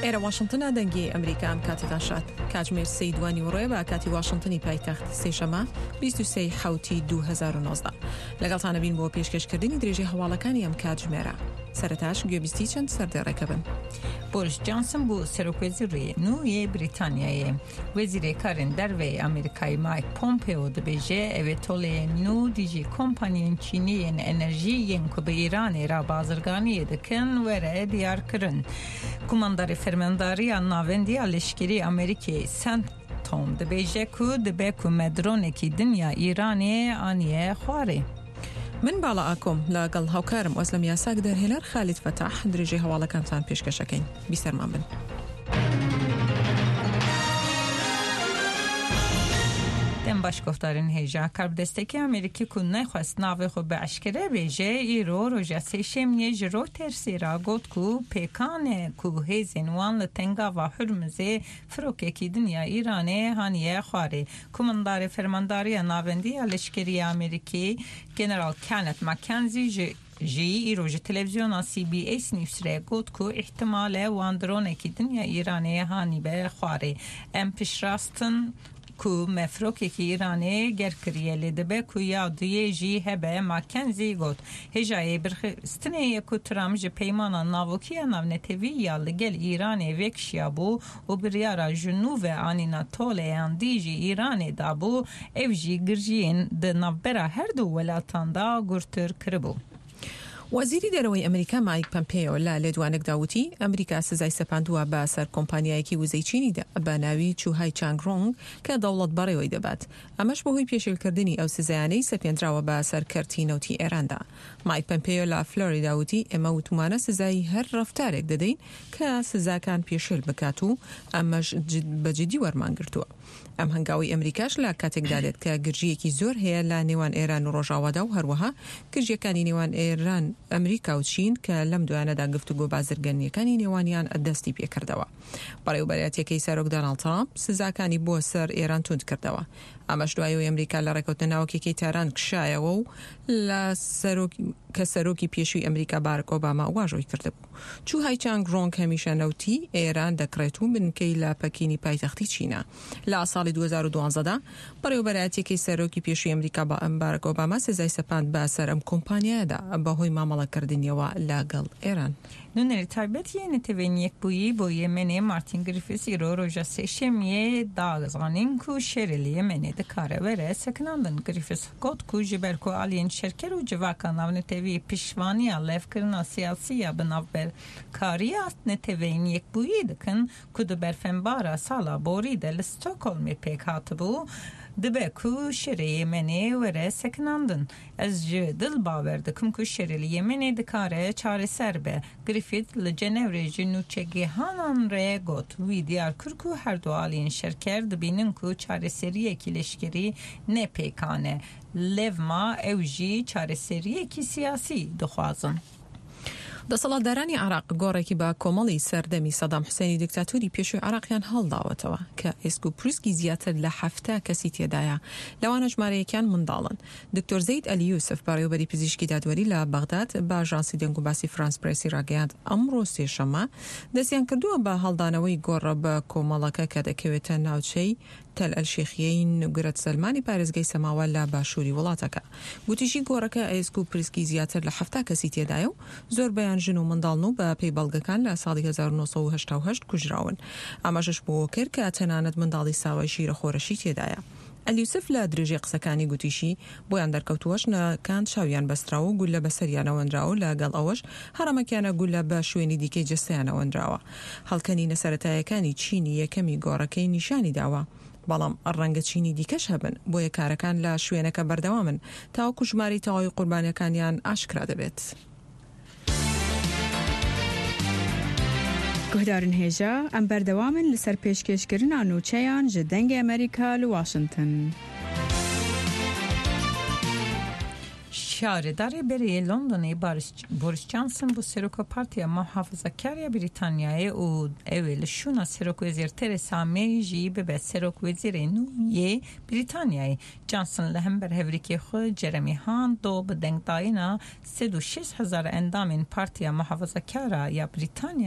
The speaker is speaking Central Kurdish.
ئێرە واشنتنە دەنگی ئەمریکا ئەم کاتەتان شاد کاتژمێر سێی دوانی وڕێ بە کاتی واشنتنی پایتەخت سێشەمە 23 حوتی 2019 لەگەڵتانە بین بۆ پێشکەشکردنی درێژەی هەواڵەکانی ئەم کاتژمێرە سەرەتاش گوێبیستی چەند سەردێڕێکە بن. بۆریس جانسن بوو سەرۆکوەزیری نوێ بریتانیایێ. وەزیرê Karên Derve yê Amerîkayê Mike Pompeo dibêje ew ê toleyên nû dijî kompaniyên Çînî yên enerjî yên ku bi Îranê re bazirganiyê dikin were diyarkirin. Kumandarê Fermandariya Navendî ya Leşkerî Amerîkê CENTCOM dibêje ku dibe ku me dronekî din ya Îranê aniye xwarê. من باڵا ئاکۆم لەگەڵ هاوکارم ئۆزلەم یاساک دەرهێنەر خالید فەتاح درێژەی هەواڵەکانتان پێشکەشەکەین بیسەرمان بن. Dem baş guhdarên hêja karbidestekî Amerîkî ku nexwest navê xwe bi eşkere bêje îro roja sêşemiyê ji Reutersê re got ku pêkan e ku hêzên wan li Tengava Hurmuzê firokekî din ya Îranê haniye xwarê. Komandarê Fermandariya Navendî ya Leşkerî ya Amerîkî General Kenneth McKenzie ji jî îro ji televîzyona CBS News re got ku îhtimal e wan dronekî din ya Îranê hanîbe xwarê. Em piştrast in ku me firokekî Îranê ger kiriye lê dibe ku ya duyê jî hebe McKenzie got. Hêjayê birxistinê ye ku Trump ji peymana navokî ya navnetewî ya li gel Îranê vekişiyabû û biryara ji nû ve anîna toleyan dijî Îranê dabû ew jî girjiyên di navbera her du welatan da gurtir kiribû. وەزیری دەرەوەی ئەمریکا مایک پەمپێیۆ لە لێدوانێکدا وتی، ئەمریکا سزای سەپاندووە بە سەر کۆمپانیایەکی وزەی چینیدا بە ناوی چوهای چانگرۆنگ کە دەوڵەت بەڕێوەی دەبات، ئەمەش بەهۆی پێشێلکردنی ئەو سزایانەی سەپێندراوە بە سەر کەرتی نەوتی ئێراندا. مایک پەمپێیۆ لە فلۆریدا وتی، ئێمە وتومانە سزای هەر ڕەفتارێک دەدەین کە سزاکان پێشێل بکات و ئەمەش بە جدی وەرمانگرتووە. ئەم هەنگاوەی ئەمریکاش لە کاتێکدا دێت کە گرژییەکی زۆر هەیە لە نێوان ئێران و ڕۆژاوادا و هەروەها گرژییەکانی نێوان ئێران، ئەمریکا و چین کە لەم دوایانەدا گفتوگۆ بازرگانییەکانی نێوانیان دەستی پێکردەوە. بەڕێوەبەرایەتییەکەی سەرۆک داناڵد ترامپ سزاکانی بۆ سەر ئێران توند کردەوە. ئەمەش دوای ئەوەی ئەمریکا لە ڕێکەوتنە ناوەکیەکەی تاران کشایەوە و لە سەرۆک کە سەرۆکی پێشووی ئەمریکا بارک ئۆباما واژۆی کردبوو. چوهای چانگ ڕۆنگ هەمیشە نەوتی ئێران دەکڕێت و بنکەی لە پەکینی پایتەختی چینە. لە ساڵی 2012 دا بەڕێوەبەرایەتیەکەی سەرۆکی پێشووی ئەمریکا بارک ئۆباما سزای سەپاند بە سەر ئەم کۆمپانیایەدا بەهۆی مامەڵەکردنیەوە لەگەڵ ئێران. Nûnerê taybet yê Neteweyên Yekbûyî bo Yemenê Martin Griffiths îro roja Sêşemiyê da zanîn ku şerê li Yemenê dikare were sekinandin. Griffiths got ku ji ber ku aliyên şerker û civaka navnetewî piştvaniya levkirina siyasî ya bi navberkariya Neteweyên Yekbûyî dikin ku di berfenbara sala borî de li Stockholmê pêk hatibû, dibe ku şerê Yemenê were sekinandin. Ez ji dil bawer dikim ku şerê li Yemenê dikare çareser be. Griffith li Cenewrê ji nûçegihanan re got. Wî diyar kir ku her du aliyên şerker dibînin ku çareseriyekî leşkerî ne pêkan e. Lewma ew jî çareseriyekî siyasî dixwazin. دەسەڵاتدارانی عێراق گۆڕێکی بە کۆمەڵی سەردەمی سەدام حوسێنی دیکتاتۆری پێشووی عێراقیان هەڵداوەتەوە کە ئێسک و پروسکی زیاتر لە 70 کەسی تێدایە، لەوانە ژمارەیەکیان منداڵن. دکتۆر زەید ئەلی یوسف، بەڕێوەبەری پزیشکی دادوەری لە بەغداد بە ئاژانسی دەنگوباسی فرانس پرێسی راگەیاند، ئەمڕۆ سێشەممە دەستیانکردووە بە هەڵدانەوەی گۆڕە بە کۆمەڵەکە کە دەکەوێتە ناوچەی تەل ئەلشێخیەی نوگرەت سەلمانی پارێزگای سەماوە لە باشووری وڵاتەکە. گوتیشی گۆڕەکە ئێسک و پرسکی زیاتر لە 70 کەسی تێدایە و زۆربەیان ژن و منداڵن و بە پێی بەڵگەکان لە ساڵی 1988 کوژراون. ئاماژەش بەوە کرد کە تەنانەت منداڵی ساوای شیرەخۆرەشی تێدایە. ئەلیوسف لە درێژەی قسەکانی گوتیشی، بۆیان دەرکەوتووە ژنەکان چاویان بەستراوە و گوللە بەسەریانەوە نراوە و لەگەڵ ئەوەش هەڕەمەکیانە گوللە بە شوێنی دیکەی جەستەیانەوە نراوە. هەڵکەنینە سەرەتایەکانی چینی یەکەمی گۆڕەکەی نیشانی داوە، بەڵام ڕەنگە چینی دیکەش هەبن، بۆیە کارەکان لە شوێنەکە بەردەوامن تاوەکو ژمارەی تەواوی قوربانیەکانیان ئاشکرا دەبێت. Guhdarên hêja, em berdewam in li ser pêşkêşkirina nûçeyan ji Dengê Amerîka li Washington. Şaredarê berê yê Londonê Boris Johnson bû Seroka Partiya Muhafazakar ya Brîtanyayê û ew ê li şûna Serokwezîr Theresa May jî bibe Serokwezîrê nû yê Brîtanyayê. Johnson li hember hevrikê xwe Jeremy Hunt do bi dengdayîna 106 hezar endamên Partiya Muhafazakara ya Brîtanyayê.